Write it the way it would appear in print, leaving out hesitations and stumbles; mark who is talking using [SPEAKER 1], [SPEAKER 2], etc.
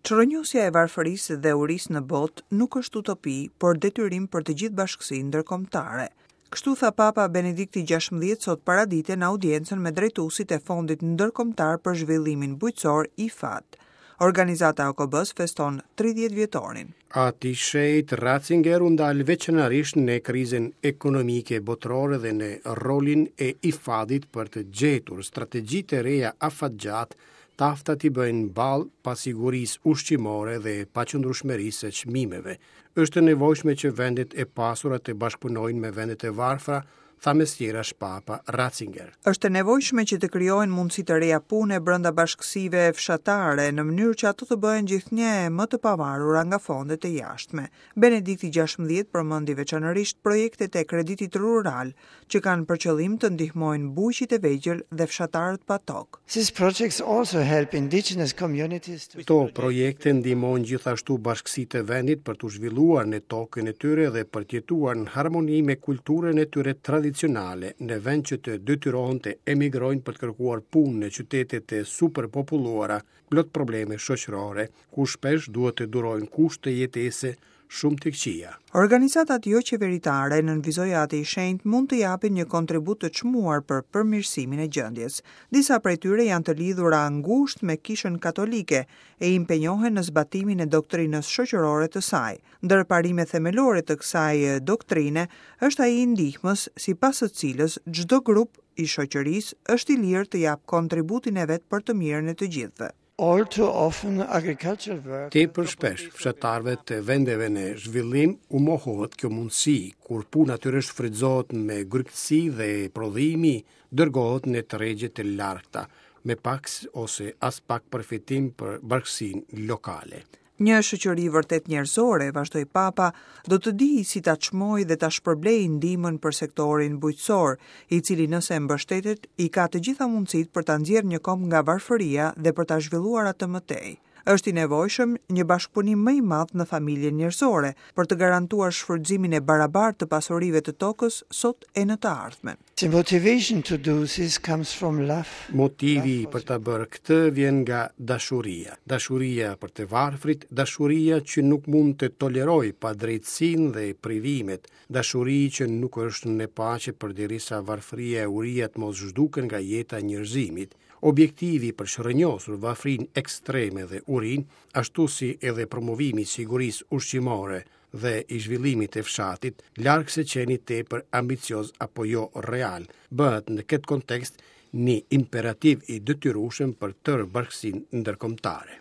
[SPEAKER 1] Çrrënjosja e varfërisë dhe urisë në botë nuk është utopi, por detyrim për të gjithë bashkësinë ndërkombëtare. Kështu tha Papa Benedikti 16 sot paradite në audiencën me drejtuesit e Fondit Ndërkombëtar për Zhvillimin Bujqësor IFAD. Organizata e OKB-së feston 30 vjetorin.
[SPEAKER 2] Ati i Shenjtë Ratzinger u ndal veçanërisht në krizën ekonomike botërore dhe në rolin e IFAD-it për të gjetur strategji të reja afatgjatë të afta t'i bëjnë ballë pasigurisë ushqimore dhe paqëndrueshmërisë së çmimeve. Është e nevojshme që vendet e pasura të bashkëpunojnë me vendet e varfra, tha mes tjerash Papa Ratzinger.
[SPEAKER 1] Është e nevojshme që të krijohen mundësi të reja pune brenda bashkësive fshatare, në mënyrë që ato të bëhen gjithnjë e më të pavarura nga fondet e jashtme. Benedikti 16 përmendi veçanërisht projektet e kreditit rural, që kanë për qëllim të ndihmojnë bujqit e vegjël dhe fshatarët pa tokë.
[SPEAKER 3] These projects also help indigenous communities to
[SPEAKER 2] Këto projekte ndihmojnë gjithashtu bashkësitë e vendit për t'u zhvilluar në tokën e tyre dhe për të jetuar në harmoni me kulturën e tyre tradicionale, në vend që të detyrohen të emigrojnë për të kërkuar punë në qytetet e superpopulluara, plot probleme shoqërore, ku shpesh duhet të durojnë kushte jetese shumë të këqija.
[SPEAKER 1] Organizatat joqeveritare, nënvizoi Ati i Shenjtë, mund të japin një kontribut të çmuar për përmirësimin e gjendjes. Disa prej tyre janë të lidhura ngushtë me Kishën Katolike e impenjohen në zbatimin e doktrinës shoqërore të saj. Ndër parimet themelore të kësaj doktrine është ai i ndihmës, sipas së cilës çdo grup i shoqërisë është i lirë të japë kontributin e vet për të mirën e të gjithëve.
[SPEAKER 3] All too often agricultural workers
[SPEAKER 2] Tepër shpesh, fshatarëve të vendeve në zhvillim u mohohet kjo mundësi, kur puna e tyre shfrytëzohet me grykësi dhe prodhimi dërgohet në tregje të largëta, me pak ose aspak përfitim për bashkësinë lokale.
[SPEAKER 1] Një shoqëri vërtet njerëzore, vazhdoi Papa, do të dijë si ta çmojë dhe ta shpërblejë ndihmën për sektorin bujqësor, i cili nëse mbështetet, i ka të gjitha mundësitë për ta nxjerrë një komb nga varfëria dhe për ta zhvilluar atë më tej. Është i nevojshëm një bashkëpunim më i madh në familjen njerëzore për të garantuar shfrytëzimin e barabartë të pasurive të tokës sot e në të ardhmen.
[SPEAKER 3] The motivation to do this comes from love.
[SPEAKER 2] Motivi për ta bërë këtë vjen nga dashuria. Dashuria për të varfrit, dashuria që nuk mund të tolerojë padrejtësinë dhe privimet, dashuri që nuk është në paqe përderisa varfëria e uria të mos zhduken nga jeta e njerëzimit. Objektivi për çrrënjosur varfërinë ekstreme dhe urinë, ashtu si edhe promovimi i sigurisë ushqimore dhe i zhvillimit të fshatit, larg së qeni tepër ambicioz apo jo real, bëhet në këtë kontekst një imperativ i detyrueshëm për tërë bashkësinë ndërkombëtare.